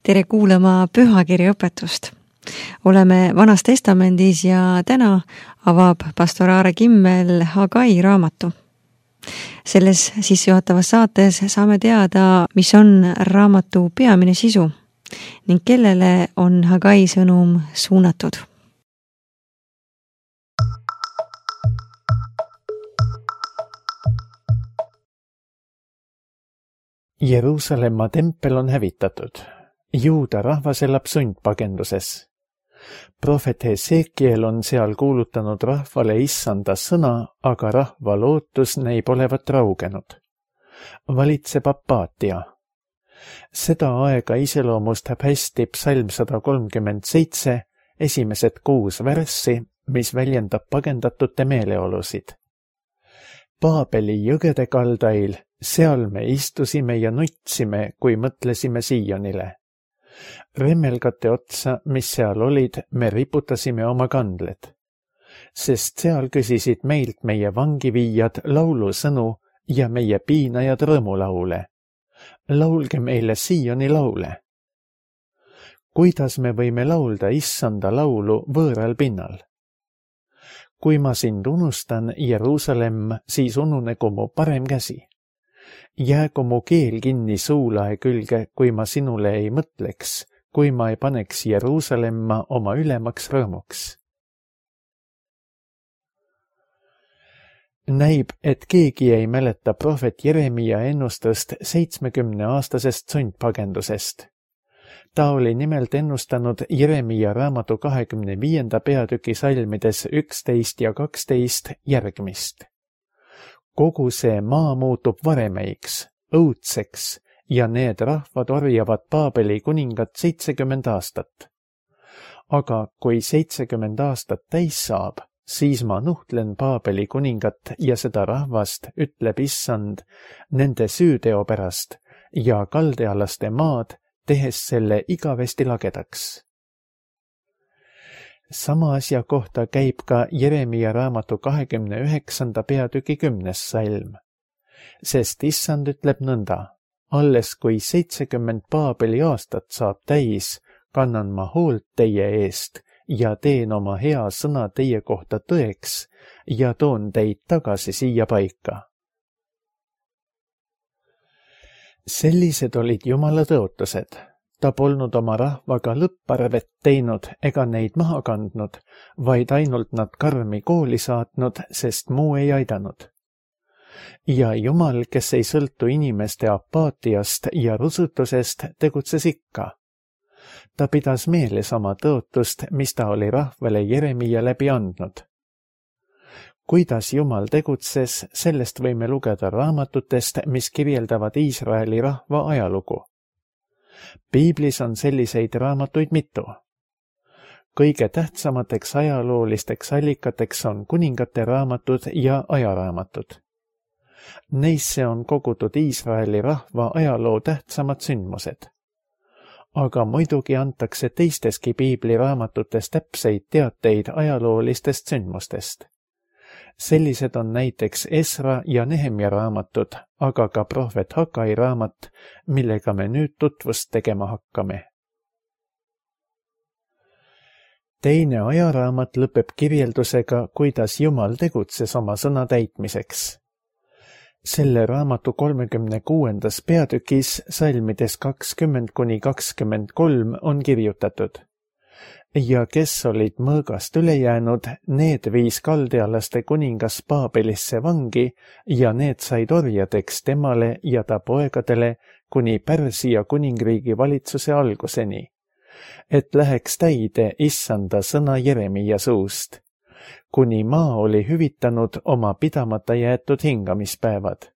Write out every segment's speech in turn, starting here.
Tere kuulama pühakirja õpetust. Oleme Vanas Testamendis ja täna avab pastor Aare Kimmel Hagai raamatu. Selles sissejuhatavas saates saame teada, mis on raamatu peamine sisu ning kellele on Hagai sõnum suunatud. Jeruusalemma tempel on hävitatud. Juuda rahvas elab sundpagenduses. Prohvet Hesekiel on seal kuulutanud rahvale issanda sõna, aga rahva lootus näib olevat raugenud. Valitseb apaatia. Seda aega iseloomustab hästi psalm 137, esimesed 6 värssi, mis väljendab pagendatute meeleolusid. Paabeli jõgede kaldail, seal me istusime ja nutsime, kui mõtlesime Siionile. Remmelgate otsa, mis seal olid, me riputasime oma kandled, sest seal küsisid meilt meie vangiviijad laulusõnu ja meie piinajad rõõmulaule. Laulge meile Sioni laule. Kuidas me võime laulda issanda laulu võõral pinnal? Kui ma sind unustan, Jeruusalemm, siis ununegu mu parem käsi. Jäägu mu keel kinni suulae külge, kui ma sinule ei mõtleks, kui ma ei paneks Jeruusalemma oma ülemaks rõõmuks. Näib, et keegi ei mäleta prohvet Jeremia ennustust 70-aastasest sundpagendusest. Ta oli nimelt ennustanud Jeremia raamatu 25. peatüki salmides 11 ja 12 järgmist. Kogu see maa muutub varemeiks, õudseks ja need rahvad orjavad Paabeli kuningat 70 aastat. Aga kui 70 aastat täis saab, siis ma nuhtlen Paabeli kuningat ja seda rahvast, ütleb issand, nende süüteo pärast ja kaldealaste maad, tehes selle igavesti lagedaks. Sama asja kohta käib ka Jeremia raamatu 29. peatüki 10. salm. Sest issand ütleb nõnda, alles kui 70 Paabeli aastat saab täis, kannan ma hoolt teie eest ja teen oma hea sõna teie kohta tõeks ja toon teid tagasi siia paika. Sellised olid Jumala tõotused. Ta polnud oma rahvaga lõpparvet teinud ega neid maha kandnud, vaid ainult nad karmi kooli saatnud, sest muu ei aidanud. Ja Jumal, kes ei sõltu inimeste apaatiast ja rusutusest, tegutses ikka. Ta pidas meeles oma tõotust, mis ta oli rahvale Jeremia läbi andnud. Kuidas Jumal tegutses, sellest võime lugeda raamatutest, mis kirjeldavad Iisraeli rahva ajalugu. Piiblis on selliseid raamatuid mitu. Kõige tähtsamateks ajaloolisteks allikateks on kuningate raamatud ja ajaraamatud. Neisse on kogutud Iisraeli rahva ajaloo tähtsamad sündmused. Aga muidugi antakse teisteski Piibli raamatutes täpseid teateid ajaloolistest sündmustest. Sellised on näiteks Esra ja Nehemia raamatud, aga ka prohvet Hagai raamat, millega me nüüd tutvust tegema hakkame. Teine ajaraamat lõpeb kirjeldusega, kuidas Jumal tegutses oma sõna täitmiseks. Selle raamatu 36. peatükis salmides 20–23 on kirjutatud. Ja kes olid mõõgast üle jäänud, need viis kaldealaste kuningas Paabelisse vangi ja need said orjadeks temale ja ta poegadele kuni Pärsia kuningriigi valitsuse alguseni, et läheks täide issanda sõna Jeremia suust, kuni maa oli hüvitanud oma pidamata jäetud hingamispäevad.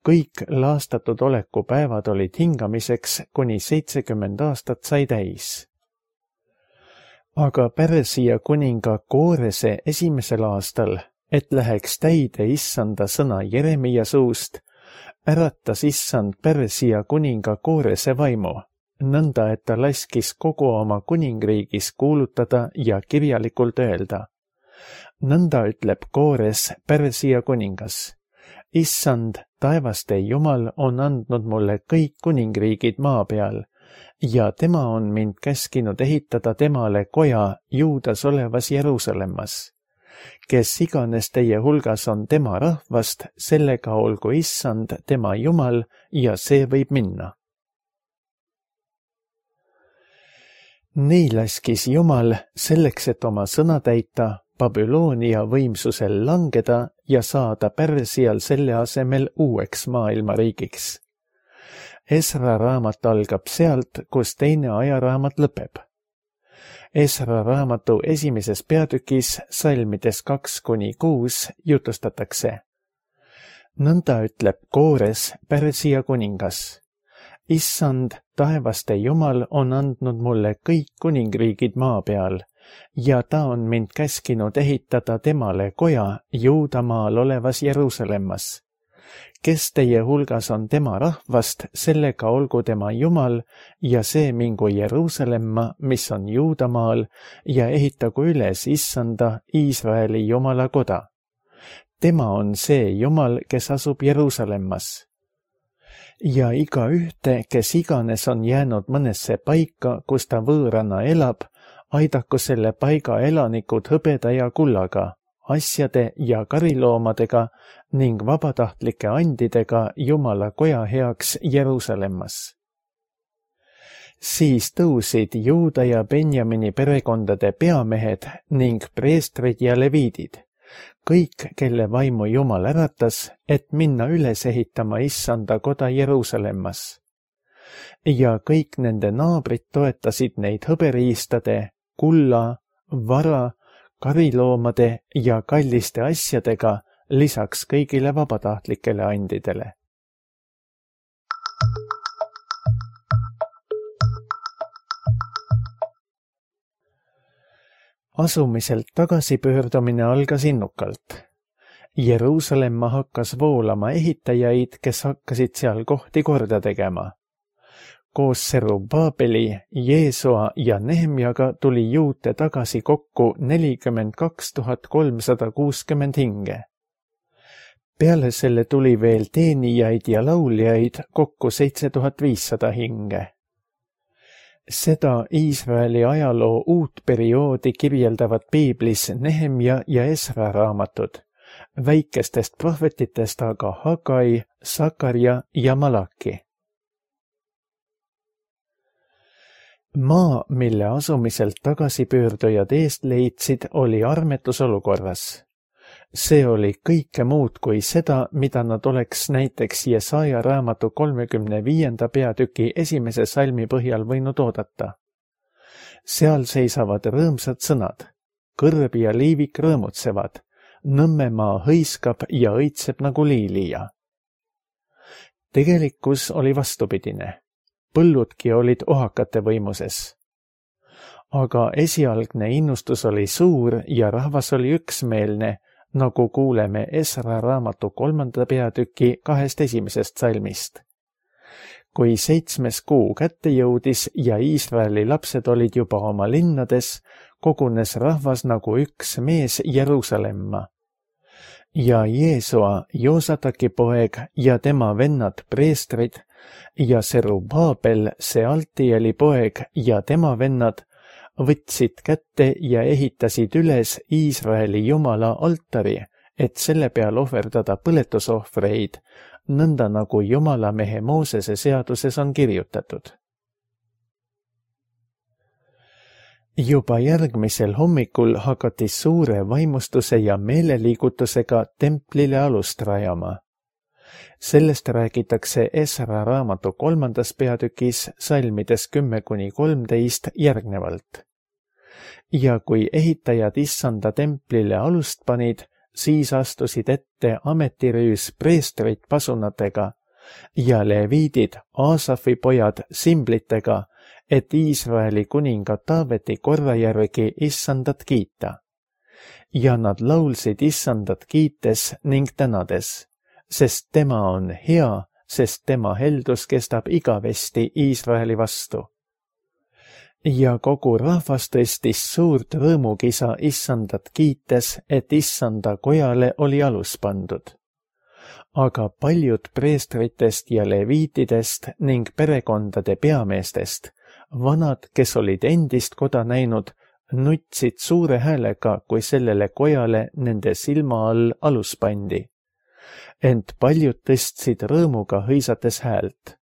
Kõik laastatud olekupäevad olid hingamiseks, kuni 70 aastat sai täis. Aga Pärsia kuninga Koorese esimesel aastal, et läheks täide issanda sõna Jeremia suust, äratas issand Pärsia kuninga Koorese vaimu, nõnda et ta laskis kogu oma kuningriigis kuulutada ja kirjalikult öelda. Nõnda ütleb Koores, Pärsia kuningas. Issand, taevaste Jumal on andnud mulle kõik kuningriigid maa peal ja tema on mind käskinud ehitada temale koja Juudas olevas Jeruusalemmas. Kes iganes teie hulgas on tema rahvast, sellega olgu Issand, tema Jumal, ja see võib minna. Nii laskis Jumal selleks, et oma sõna täita, Babyloonia võimsusel langeda ja saada Pärsial selle asemel uueks maailmariigiks. Esra raamat algab sealt, kus teine ajaraamat lõpeb. Esra raamatu esimeses peatükis salmides 2-6 jutustatakse. Nõnda ütleb Koores, Pärsia kuningas. Issand, taevaste Jumal on andnud mulle kõik kuningriigid maa peal ja ta on mind käskinud ehitada temale koja Juudamaal olevas Jeruusalemmas. Kes teie hulgas on tema rahvast, sellega olgu tema Jumal ja see mingu Jeruusalemma, mis on Juudamaal, ja ehitagu üles Issanda, Iisraeli Jumala koda. Tema on see Jumal, kes asub Jeruusalemmas. Ja igaühte, kes iganes on jäänud mõnesse paika, kus ta võõrana elab, aidaku selle paiga elanikud hõbeda ja kullaga, asjade ja kariloomadega ning vabatahtlike andidega Jumala koja heaks Jeruusalemmas. Siis tõusid Juuda ja Benjamini perekondade peamehed ning preestrid ja leviidid, kõik, kelle vaimu Jumal äratas, et minna üles ehitama Issanda koda Jeruusalemmas. Ja kõik nende naabrid toetasid neid hõberiistade, kulla, vara, kariloomade ja kalliste asjadega, lisaks kõigile vabatahtlikele andidele. Asumiselt tagasipöördumine algas innukalt. Jeruusalemma hakkas voolama ehitajaid, kes hakkasid seal kohti korda tegema. Koos Serubabeli, Jeesua ja Nehemjaga tuli juute tagasi kokku 42 360 hinge. Peale selle tuli veel teenijaid ja lauljaid kokku 7500 hinge. Seda Iisraeli ajaloo uut perioodi kirjeldavad piiblis Nehemja ja Esra raamatud, väikestest prohvetitest aga Hagai, Sakarja ja Malaki. Maa, mille asumiselt tagasipöördujad eest leidsid, oli armetusolukorras. See oli kõike muud kui seda, mida nad oleks näiteks Jesaja raamatu 35. peatüki esimese salmi põhjal võinud oodata. Seal seisavad rõõmsad sõnad, kõrb ja liivik rõõmutsevad, Nõmmemaa hõiskab ja õitseb nagu liilija. Tegelikkus oli vastupidine. Põlludki olid ohakate võimuses. Aga esialgne innustus oli suur ja rahvas oli üksmeelne, nagu kuuleme Esra raamatu 3. peatüki 2 esimesest salmist. Kui 7. kuu kätte jõudis ja Iisraeli lapsed olid juba oma linnades, kogunes rahvas nagu üks mees Jeruusalemma. Ja Jeesua, Joosataki poeg ja tema vennad preestrid ja Serubabel, Sealtieli poeg ja tema vennad võtsid kätte ja ehitasid üles Iisraeli Jumala altari, et selle peal ohverdada põletusohvreid, nõnda nagu Jumala mehe Moosese seaduses on kirjutatud. Juba järgmisel hommikul hakati suure vaimustuse ja meeleliigutusega templile alust rajama. Sellest räägitakse Esra raamatu 3. peatükis salmides 10-13 järgnevalt. Ja kui ehitajad Issanda templile alust panid, siis astusid ette ametirüüs preestrid pasunatega ja leviidid Aasafi pojad simblitega, et Iisraeli kuninga Taaveti korra järgi Issandat kiita. Ja nad laulsid Issandat kiites ning tänades, sest tema on hea, sest tema heldus kestab igavesti Iisraeli vastu. Ja kogu rahvas tõstis suurt rõõmukisa Issandat kiites, et Issanda kojale oli alus pandud. Aga paljud preestritest ja leviitidest ning perekondade peameestest vanad, kes olid endist koda näinud, nutsid suure häälega, kui sellele kojale nende silma all alus pandi. Ent paljud tõstsid rõõmuga hõisates häält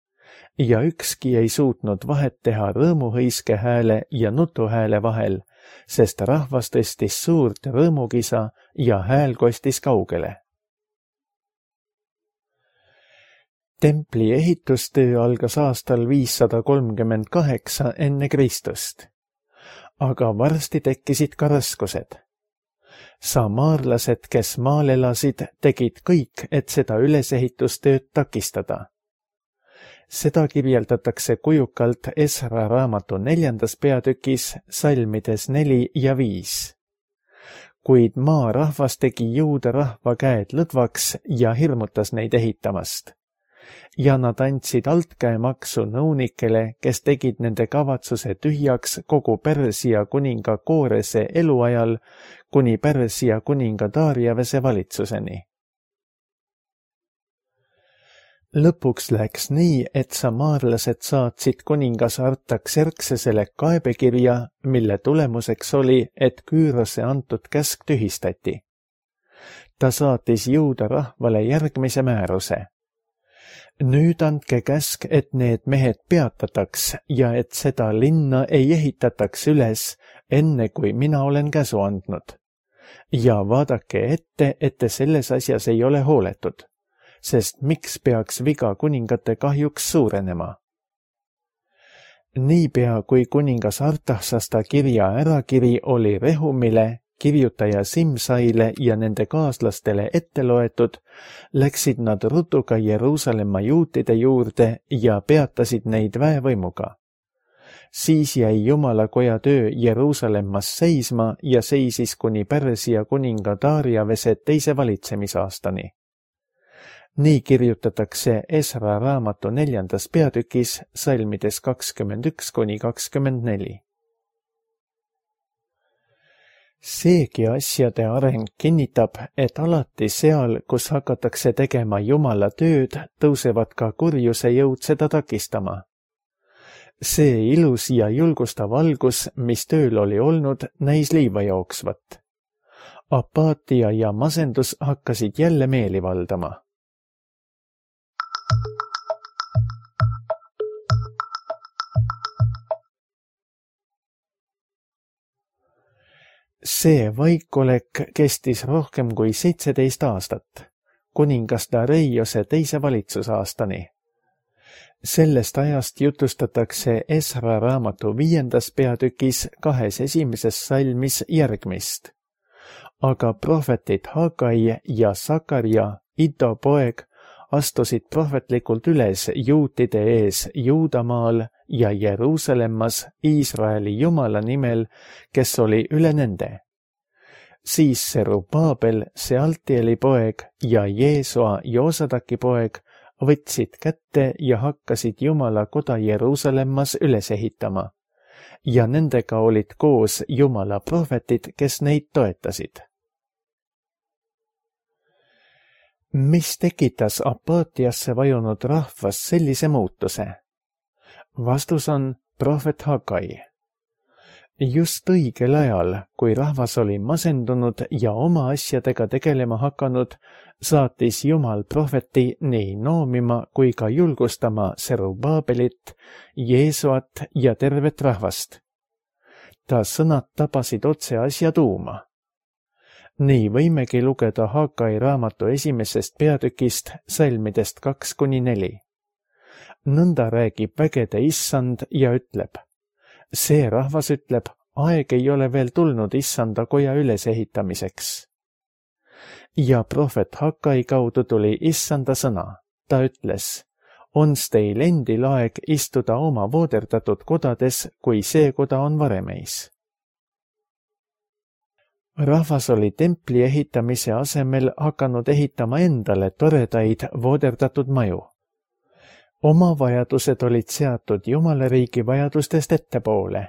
ja ükski ei suutnud vahet teha rõõmuhõiske hääle ja nutuhääle vahel, sest rahvas tõstis suurt rõõmukisa ja hääl kostis kaugele. Templi ehitustöö algas aastal 538 enne Kristust, aga varsti tekkisid ka raskused. Samaarlased, kes maal elasid, tegid kõik, et seda ülesehitustööd takistada. Seda kirjeldatakse kujukalt Esra raamatu 4. peatükis salmides 4 ja 5. Kuid maarahvas tegi juuda rahva käed lõdvaks ja hirmutas neid ehitamast. Ja nad andsid altkäemaksu nõunikele, kes tegid nende kavatsuse tühjaks kogu Persia kuninga Koorese eluajal kuni Persia kuninga Dariavese valitsuseni. Lõpuks läks nii, et samaarlased saatsid kuningas Artaxerxesele kaebekirja, mille tulemuseks oli, et Küürose antud käsk tühistati. Ta saatis juuda rahvale järgmise määruse. Nüüd andke käsk, et need mehed peatataks ja et seda linna ei ehitataks üles, enne kui mina olen käsu andnud. Ja vaadake ette, et te selles asjas ei ole hooletud, sest miks peaks viga kuningate kahjuks suurenema? Niipea, kui kuningas Artaxasta kirja ärakiri oli Rehumile, kirjutaja Simsaile ja nende kaaslastele ette loetud, läksid nad rutuga Jeruusalemma juutide juurde ja peatasid neid väevõimuga. Siis jäi Jumalakoja töö Jeruusalemmas seisma ja seisis kuni Persia kuninga Dariavese 2. valitsemisaastani. Nii kirjutatakse Esra raamatu 4. peatükis salmides 21–24. Seegi asjade areng kinnitab, et alati seal, kus hakatakse tegema Jumala tööd, tõusevad ka kurjuse jõud seda takistama. See ilus ja julgustav algus, mis tööl oli olnud, näis liiva jooksvat. Apaatia ja masendus hakkasid jälle meeli valdama. See vaikolek kestis rohkem kui 17 aastat, kuningas Dareiose 2. valitsusaastani. Sellest ajast jutustatakse Esra raamatu 5. peatükis 2. esimeses salmis järgmist. Aga prohvetid Hagai ja Sakarja, Iddo poeg, astusid prohvetlikult üles juutide ees Juudamaal ja Jeruusalemmas Iisraeli Jumala nimel, kes oli üle nende. Siis Serubaabel, Sealtieli poeg ja Jeesua Joosadaki poeg võtsid kätte ja hakkasid Jumala koda Jeruusalemmas üles ehitama. Ja nendega olid koos Jumala prohvetid, kes neid toetasid. Mis tekitas apaatiasse vajunud rahvas sellise muutuse? Vastus on prohvet Hagai. Just õigel ajal, kui rahvas oli masendunud ja oma asjadega tegelema hakanud, saatis Jumal prohveti nii noomima kui ka julgustama Serubaabelit, Jeesuat ja tervet rahvast. Ta sõnad tabasid otse asja tuuma. Nii võimegi lugeda Hagai raamatu 1. peatükist salmidest 2–4. Nõnda räägib vägede issand ja ütleb, see rahvas ütleb, aeg ei ole veel tulnud issanda koja ülesehitamiseks. Ja prohvet Hagai kaudu tuli issanda sõna. Ta ütles, ons teil endil aeg istuda oma vooderdatud kodades, kui see koda on varemeis. Rahvas oli templi ehitamise asemel hakanud ehitama endale toredaid vooderdatud maju. Oma vajadused olid seatud Jumalariigi vajadustest ettepoole.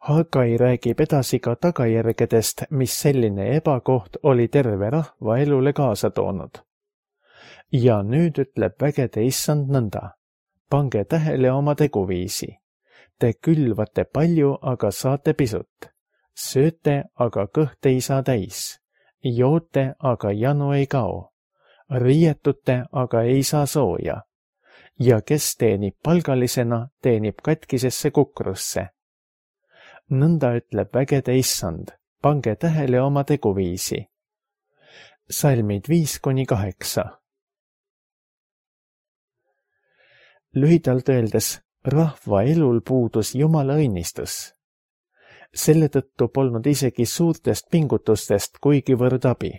Hagai räägib edasi ka tagajärgedest, mis selline ebakoht oli terve rahva elule kaasa toonud. Ja nüüd ütleb vägede issand nõnda, pange tähele oma teguviisi. Te külvate palju, aga saate pisut. Sööte, aga kõht ei saa täis. Joote, aga janu ei kao. Riietute, aga ei saa sooja. Ja kes teenib palgalisena, teenib katkisesse kukrusse. Nõnda ütleb vägede issand, pange tähele oma teguviisi. Salmid 5-8. Lühidalt öeldes, rahva elul puudus Jumala õnnistus. Selle tõttu polnud isegi suurtest pingutustest kuigivõrd abi.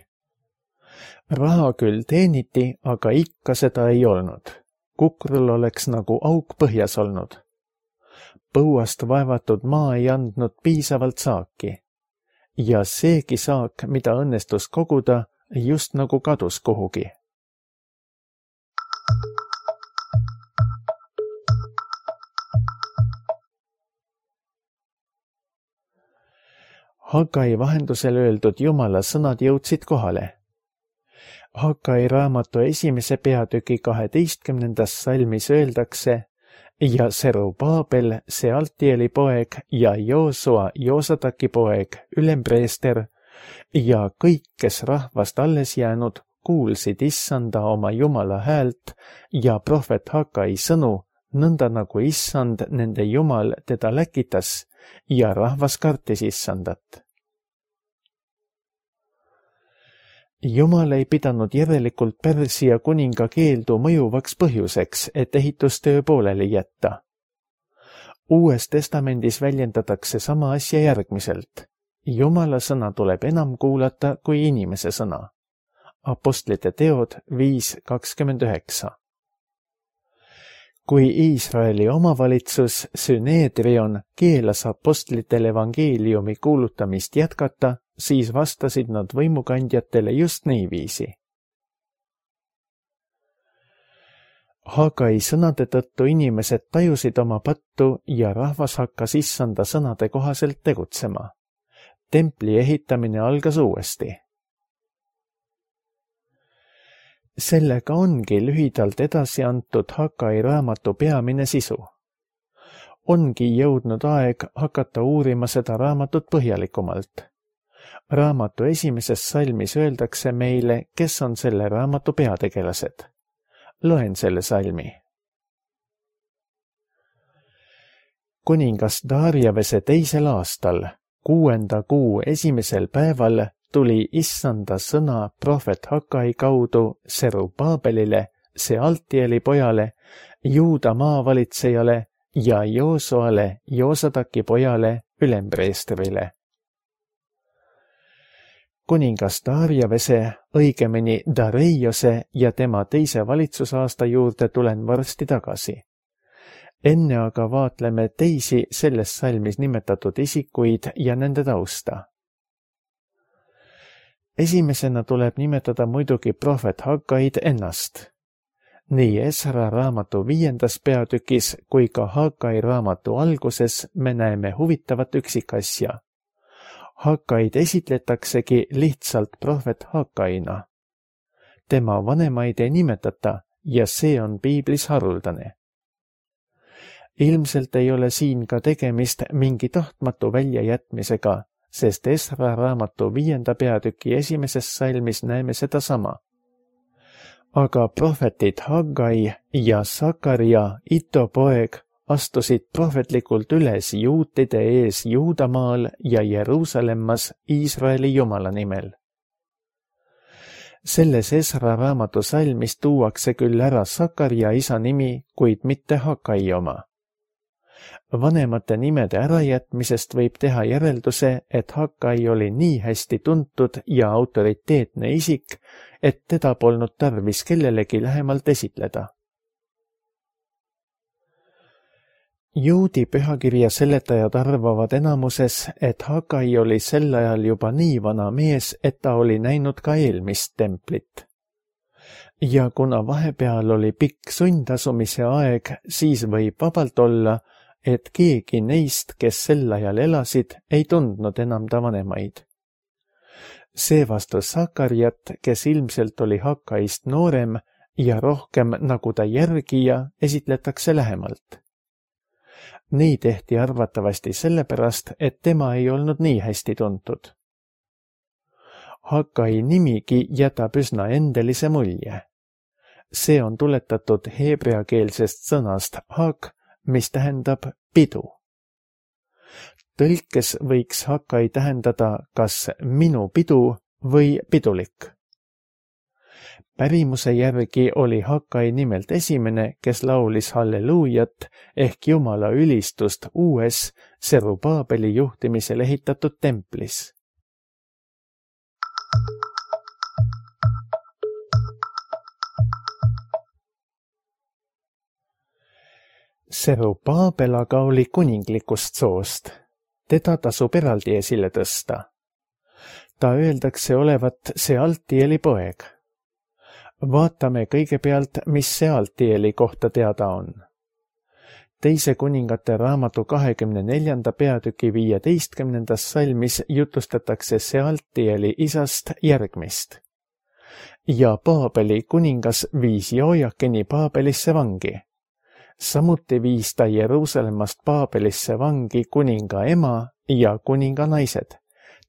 Raha küll teeniti, aga ikka seda ei olnud. Kukrul oleks nagu auk põhjas olnud. Põuast vaevatud maa ei andnud piisavalt saaki. Ja seegi saak, mida õnnestus koguda, just nagu kadus kuhugi. Hagai vahendusel öeldud Jumala sõnad jõudsid kohale. Hagai raamatu 1. peatüki 12. salmis öeldakse ja Serubaabel, Sealtieli poeg ja Joosua, Joosataki poeg, ülempreester ja kõik, kes rahvast alles jäänud, kuulsid issanda oma Jumala häält ja prohvet Hagai sõnu, nõnda nagu issand, nende Jumal, teda läkitas ja rahvas kartis issandat. Jumal ei pidanud järelikult Pärsia kuninga keeldu mõjuvaks põhjuseks, et ehitustöö pooleli jätta. Uues testamendis väljendatakse sama asja järgmiselt. Jumala sõna tuleb enam kuulata kui inimese sõna. Apostlite teod 5:29. Kui Iisraeli omavalitsus Süneedrion keelas apostlitel evangeeliumi kuulutamist jätkata, siis vastasid nad võimukandjatele just niiviisi. Hagai sõnade tõttu inimesed tajusid oma pattu ja rahvas hakkas issanda sõnade kohaselt tegutsema. Templi ehitamine algas uuesti. Sellega ongi lühidalt edasi antud Hagai raamatu peamine sisu. Ongi jõudnud aeg hakata uurima seda raamatut põhjalikumalt. Raamatu 1. salmis öeldakse meile, kes on selle raamatu peategelased. Loen selle salmi. Kuningas Darjavese 2. aastal, 6. kuu 1. päeval tuli issanda sõna prohvet Hagai kaudu Serubaabelile, Sealtieli pojale, Juuda maavalitsejale ja Joosuale, Joosataki pojale, ülempreestrile. Kuningas Darjavese, õigemini Dareiose ja tema 2. valitsusaasta juurde tulen varsti tagasi. Enne aga vaatleme teisi selles salmis nimetatud isikuid ja nende tausta. Esimesena tuleb nimetada muidugi prohvet Hagaid ennast. Nii Esra raamatu 5. peatükis kui ka Hagai raamatu alguses me näeme huvitavat üksikasja. Hagaid esitletaksegi lihtsalt prohvet Hagaina. Tema vanemaid ei nimetata ja see on piiblis haruldane. Ilmselt ei ole siin ka tegemist mingi tahtmatu väljajätmisega, sest Esra raamatu 5. peatüki 1. salmis näeme sedasama. Aga prohvetid Hagai ja Sakaria, Ito poeg, astusid prohvetlikult üles juutide ees Juudamaal ja Jeruusalemmas Iisraeli Jumala nimel. Selles Esra raamatu salmis tuuakse küll ära Sakaria isa nimi, kuid mitte Hagai oma. Vanemate nimede ärajätmisest võib teha järelduse, et Hagai oli nii hästi tuntud ja autoriteetne isik, et teda polnud tarvis kellelegi lähemalt esitleda. Juudi pühakirja seletajad arvavad enamuses, et Hagai oli sel ajal juba nii vana mees, et ta oli näinud ka eelmist templit. Ja kuna vahepeal oli pikk sundasumise aeg, siis võib vabalt olla, et keegi neist, kes sel ajal elasid, ei tundnud enam ta vanemaid. Seevastu Sakariat, kes ilmselt oli Hagaist noorem ja rohkem nagu ta järgija, esitletakse lähemalt. Nii tehti arvatavasti sellepärast, et tema ei olnud nii hästi tuntud. Hagai nimigi jätab üsna endelise mulje. See on tuletatud heebreakeelsest sõnast hag, mis tähendab pidu. Tõlkes võiks Hagai tähendada kas minu pidu või pidulik. Pärimuse järgi oli Hagai nimelt esimene, kes laulis halleluujat ehk Jumala ülistust uues Serubaabeli juhtimisel ehitatud templis. Serubaabel aga oli kuninglikust soost. Teda tasub eraldi esile tõsta. Ta öeldakse olevat Sealtieli poeg. Vaatame kõigepealt, mis Sealtieli kohta teada on. Teise kuningate raamatu 24. peatüki 15. salmis jutustatakse Sealtieli isast järgmist. Ja Baabeli kuningas viis Joojakini Baabelisse vangi. Samuti viis ta Jeruusalemmast Baabelisse vangi kuninga ema ja kuninga naised,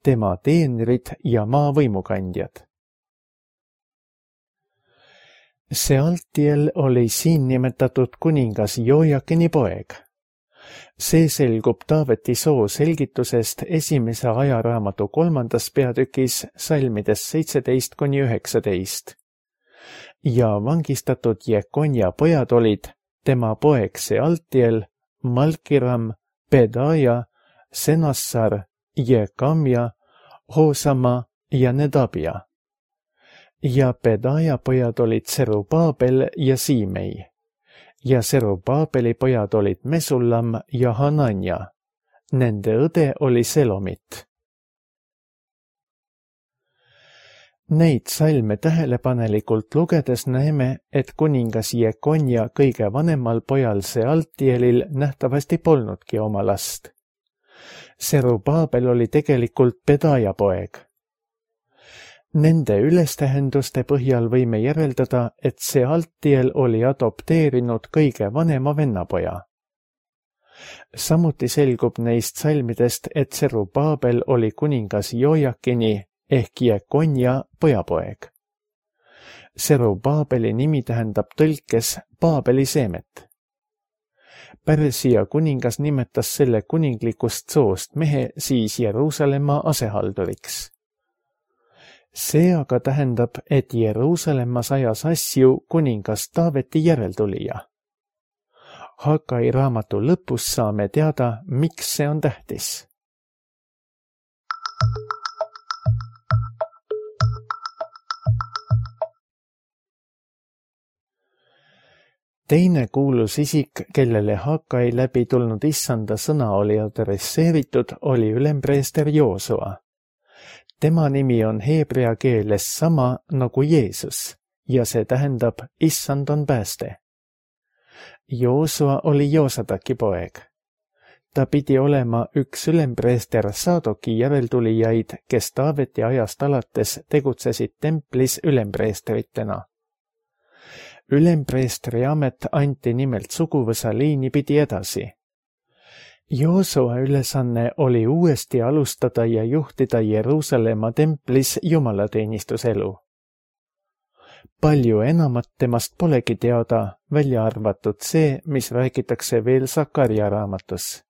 tema teenrid ja maa võimukandjad. Sealtiel oli siin nimetatud kuningas Joojakini poeg. See selgub Taaveti soo selgitusest esimese ajaraamatu 3. peatükis salmides 17–19. Ja vangistatud Jekonja pojad olid tema poeg Sealtiel, Malkiram, Pedaja, Senassar, Jekamja, Hoosama ja Nedabja. Ja Pedaja pojad olid Serubaabel ja Siimei. Ja Serubaabeli pojad olid Mesullam ja Hananja. Nende õde oli Selomit. Neid salme tähelepanelikult lugedes näeme, et kuningas Jekonja kõige vanemal pojal Sealtielil nähtavasti polnudki oma last. Serubaabel oli tegelikult Pedaja poeg. Nende ülestähenduste põhjal võime järeldada, et Sealtiel oli adopteerinud kõige vanema vennapoja. Samuti selgub neist salmidest, et Serubaabel oli kuningas Joojakini ehk Jekonja pojapoeg. Serubaabeli nimi tähendab tõlkes Baabeli seemet. Pärsia kuningas nimetas selle kuninglikust soost mehe siis Jeruusalemma asehalduriks. See aga tähendab, et Jeruusalemmas ajas asju kuningas Taaveti järeltulija. Hagai raamatu lõpus saame teada, miks see on tähtis. Teine kuulus isik, kellele Hagai läbi tulnud issanda sõna oli adresseeritud, oli ülempreester Joosua. Tema nimi on heebrea keeles sama nagu Jeesus ja see tähendab issand on pääste. Joosua oli Joosadaki poeg. Ta pidi olema üks ülempreester Saadoki järeltulijaid, kes Taaveti ajast alates tegutsesid templis ülempreestritena. Ülempreestri amet anti nimelt suguvõsa liini pidi edasi. Joosua ülesanne oli uuesti alustada ja juhtida Jeruusalemma templis jumalateenistuselu. Palju enamat temast polegi teada, välja arvatud see, mis räägitakse veel Sakarja raamatus.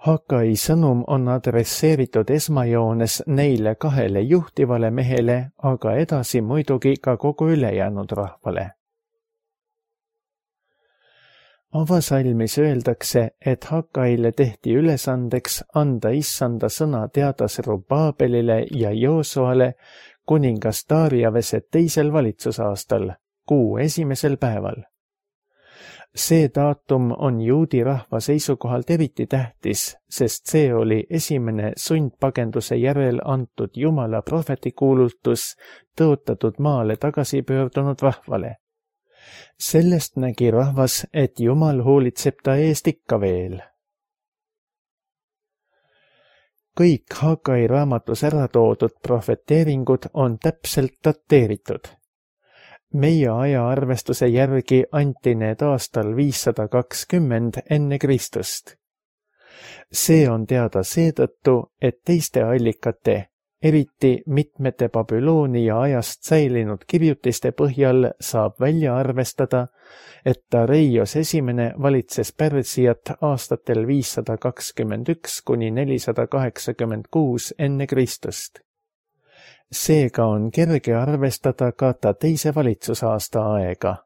Hagai sõnum on adresseeritud esmajoones neile kahele juhtivale mehele, aga edasi muidugi ka kogu ülejäänud rahvale. Avasalmis öeldakse, et Hagaile tehti ülesandeks anda issanda sõna teada Serubaabelile ja Joosuale kuningas Daariavese teisel valitsusaastal, kuu esimesel päeval. See daatum on juudi rahva seisukohalt eriti tähtis, sest see oli esimene sundpagenduse järel antud Jumala prohvetikuulutus tõotatud maale tagasi pöördunud rahvale. Sellest nägi rahvas, et Jumal hoolitseb ta eest ikka veel. Kõik Hagai raamatus ära toodud prohveteeringud on täpselt dateeritud. Meie ajaarvestuse järgi anti need aastal 520 enne Kristust. See on teada seetõttu, et teiste allikate, eriti mitmete Babyloonia ajast säilinud kirjutiste põhjal saab välja arvestada, et Dareios esimene valitses Pärsiat aastatel 521 kuni 486 enne Kristust. Seega on kerge arvestada ka ta teise valitsusaasta aega.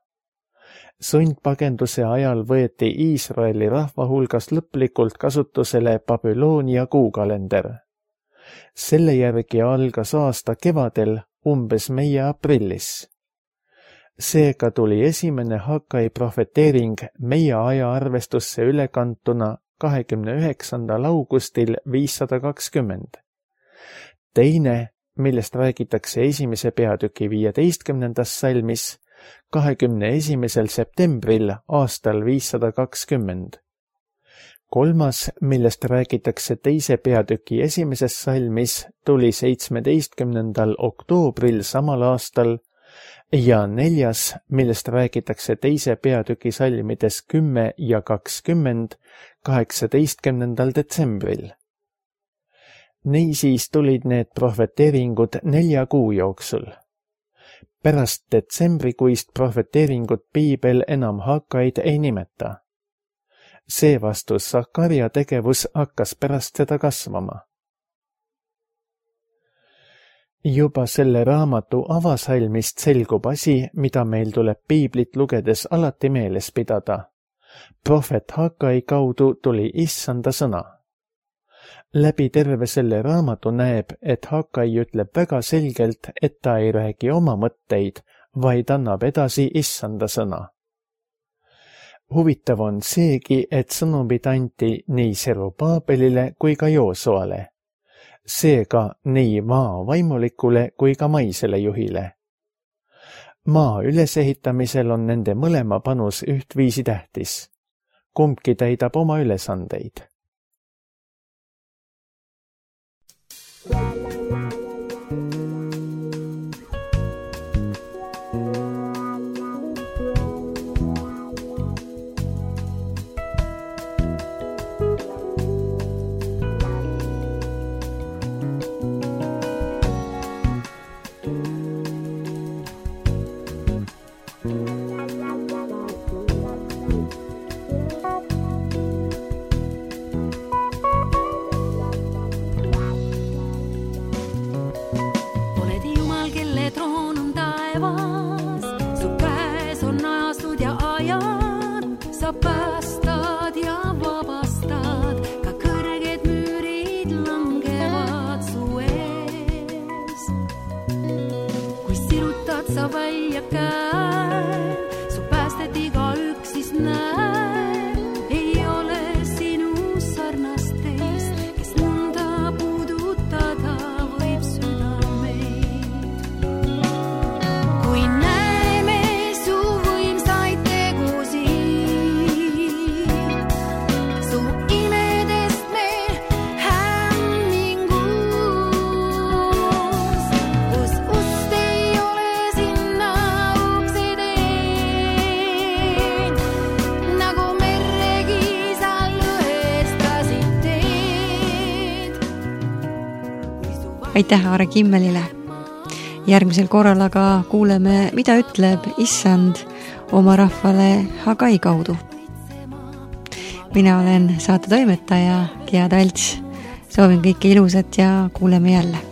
Sundpagenduse ajal võeti Iisraeli rahva hulgas lõplikult kasutusele Babyloonia kuukalender. Selle järgi algas aasta kevadel, umbes meie aprillis. Seega tuli esimene Hagai profeteering meie ajaarvestusse ülekantuna 29. augustil 520. Teine, millest räägitakse esimese peatüki 15. salmis, 21. septembril aastal 520. Kolmas, millest räägitakse teise peatüki esimeses salmis, tuli 17. oktoobril samal aastal ja neljas, millest räägitakse teise peatüki salmides 10 ja 20, 18. detsembril. Niisiis tulid need profeteeringud 4 kuu jooksul. Pärast detsembrikuist profeteeringut piibel enam Hagaid ei nimeta. Seevastu Sakaria tegevus hakkas pärast seda kasvama. Juba selle raamatu avasalmist selgub asi, mida meil tuleb piiblit lugedes alati meeles pidada. Prohvet Hagai kaudu tuli Issanda sõna. Läbi terve selle raamatu näeb, et Hagai ütleb väga selgelt, et ta ei räägi oma mõtteid, vaid annab edasi Issanda sõna. Huvitav on seegi, et sõnumid anti nii Serubaabelile kui ka Joosuale. Seega nii maa vaimulikule kui ka maisele juhile. Maa ülesehitamisel on nende mõlema panus ühtviisi tähtis. Kumbki täidab oma ülesandeid. Päästad ja vabastad, ka kõrged müürid langevad su ees. Kui sirutad sa välja käe, su päästet igaüks siis näe. Ei ole sinu sarnast teist, kes nõnda puudutada võib südameid. Kui näeme su võimsaid tegusid, aitäh Aare Kimmelile. Järgmisel korral aga kuuleme, mida ütleb Issand oma rahvale Hagai kaudu. Mina olen saate toimetaja Gea Talts. Soovin kõike ilusat ja kuuleme jälle.